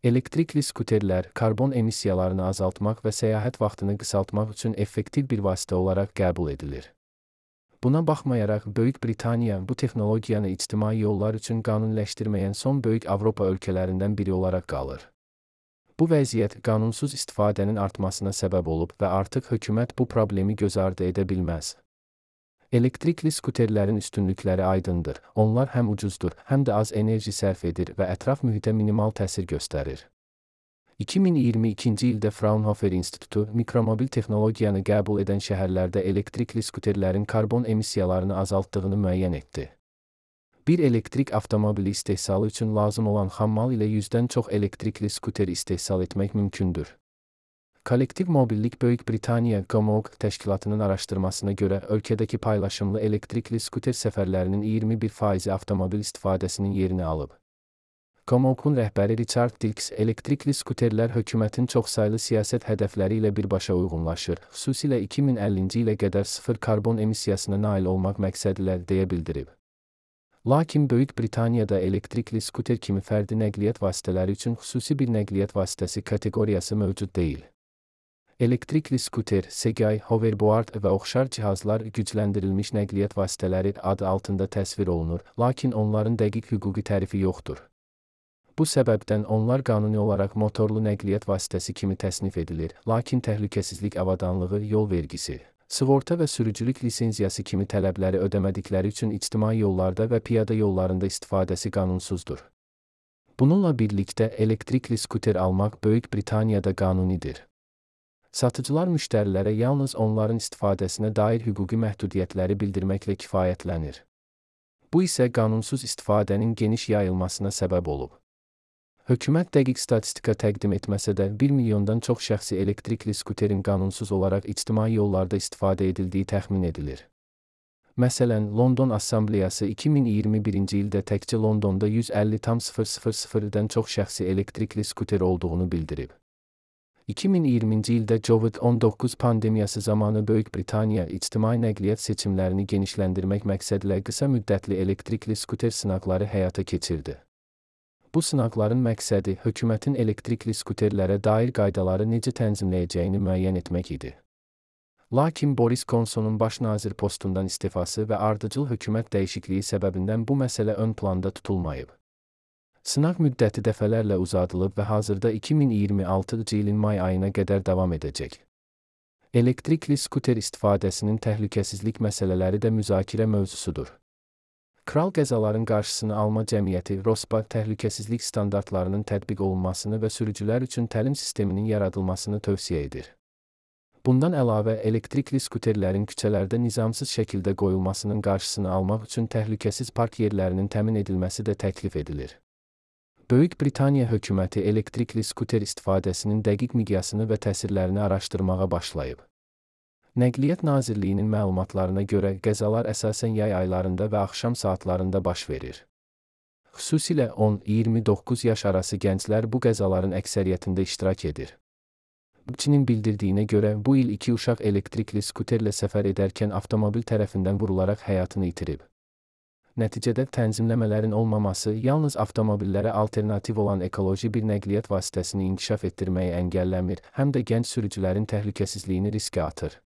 Elektrikli skuterlər karbon emissiyalarını azaltmaq və səyahət vaxtını qısaltmaq üçün effektiv bir vasitə olaraq qəbul edilir. Buna baxmayaraq, Böyük Britaniya bu texnologiyanı ictimai yollar üçün qanuniləşdirməyən son böyük Avropa ölkələrindən biri olaraq qalır. Bu vəziyyət qanunsuz istifadənin artmasına səbəb olub və artıq hökumət bu problemi göz ardı edə bilməz. Elektrikli skuterlərin üstünlükləri aydındır. Onlar həm ucuzdur, həm də az enerji sərf edir və ətraf mühitə minimal təsir göstərir. 2022-ci ildə Fraunhofer İnstitutu mikromobil texnologiyanı qəbul edən şəhərlərdə elektrikli skuterlərin karbon emissiyalarını azaltdığını müəyyən etdi. Bir elektrik avtomobili istehsalı üçün lazım olan xammal ilə 100-dən çox elektrikli skuter istehsal etmək mümkündür. Kollektiv Mobillik Böyük Britaniya GOMOG təşkilatının araşdırmasına görə ölkədəki paylaşımlı elektrikli skuter səfərlərinin 21% avtomobil istifadəsinin yerini alıb. GOMOG-un rəhbəri Richard Dilks, elektrikli skuterlər hökumətin çoxsaylı siyasət hədəfləri ilə birbaşa uyğunlaşır, xüsusilə 2050-ci ilə qədər sıfır karbon emissiyasına nail olmaq məqsədi ilə deyə bildirib. Lakin Böyük Britaniyada elektrikli skuter kimi fərdi nəqliyyat vasitələri üçün xüsusi bir nəqliyyat vasitəsi kateqoriyası mövcud deyil. Elektrikli skuter, Segway, hoverboard və oxşar cihazlar gücləndirilmiş nəqliyyat vasitələri adı altında təsvir olunur, lakin onların dəqiq hüquqi tərifi yoxdur. Bu səbəbdən onlar qanuni olaraq motorlu nəqliyyat vasitəsi kimi təsnif edilir, lakin təhlükəsizlik avadanlığı, yol vergisi, sığorta və sürücülük lisenziyası kimi tələbləri ödəmədikləri üçün ictimai yollarda və piyada yollarında istifadəsi qanunsuzdur. Bununla birlikdə elektrikli skuter almaq Böyük Britaniyada qanunidir. Satıcılar müştərilərə yalnız onların istifadəsinə dair hüquqi məhdudiyyətləri bildirməklə kifayətlənir. Bu isə qanunsuz istifadənin geniş yayılmasına səbəb olub. Hökumət dəqiq statistika təqdim etməsə də 1 milyondan çox şəxsi elektrikli skuterin qanunsuz olaraq ictimai yollarda istifadə edildiyi təxmin edilir. Məsələn, London Assambleyası 2021-ci ildə təkcə Londonda 150,000-dən çox şəxsi elektrikli skuter olduğunu bildirib. 2020-ci ildə COVID-19 pandemiyası zamanı Böyük Britaniya ictimai nəqliyyat seçimlərini genişləndirmək məqsədilə qısa müddətli elektrikli skuter sınaqları həyata keçirdi. Bu sınaqların məqsədi hökumətin elektrikli skuterlərə dair qaydaları necə tənzimləyəcəyini müəyyən etmək idi. Lakin Boris Johnsonun baş nazir postundan istifası və ardıcıl hökumət dəyişikliyi səbəbindən bu məsələ ön planda tutulmayıb. Sınaq müddəti dəfələrlə uzadılıb və hazırda 2026-cı ilin may ayına qədər davam edəcək. Elektrikli skuter istifadəsinin təhlükəsizlik məsələləri də müzakirə mövzusudur. Kral qəzaların qarşısını alma cəmiyyəti RoSPA təhlükəsizlik standartlarının tətbiq olunmasını və sürücülər üçün təlim sisteminin yaradılmasını tövsiyə edir. Bundan əlavə, elektrikli skuterlərin küçələrdə nizamsız şəkildə qoyulmasının qarşısını almaq üçün təhlükəsiz park yerlərinin təmin edilməsi də təklif edilir. Böyük Britaniya hökuməti elektrikli skuter istifadəsinin dəqiq miqyasını və təsirlərini araşdırmağa başlayıb. Nəqliyyat Nazirliyinin məlumatlarına görə qəzalar əsasən yay aylarında və axşam saatlarında baş verir. Xüsusilə 10-29 yaş arası gənclər bu qəzaların əksəriyyətində iştirak edir. BBC-nin bildirdiyinə görə bu il 2 uşaq elektrikli skuterlə səfər edərkən avtomobil tərəfindən vurularaq həyatını itirib. Nəticədə tənzimləmələrin olmaması yalnız avtomobillərə alternativ olan ekoloji bir nəqliyyat vasitəsini inkişaf etdirməyi əngəlləmir, həm də gənc sürücülərin təhlükəsizliyini riskə atır.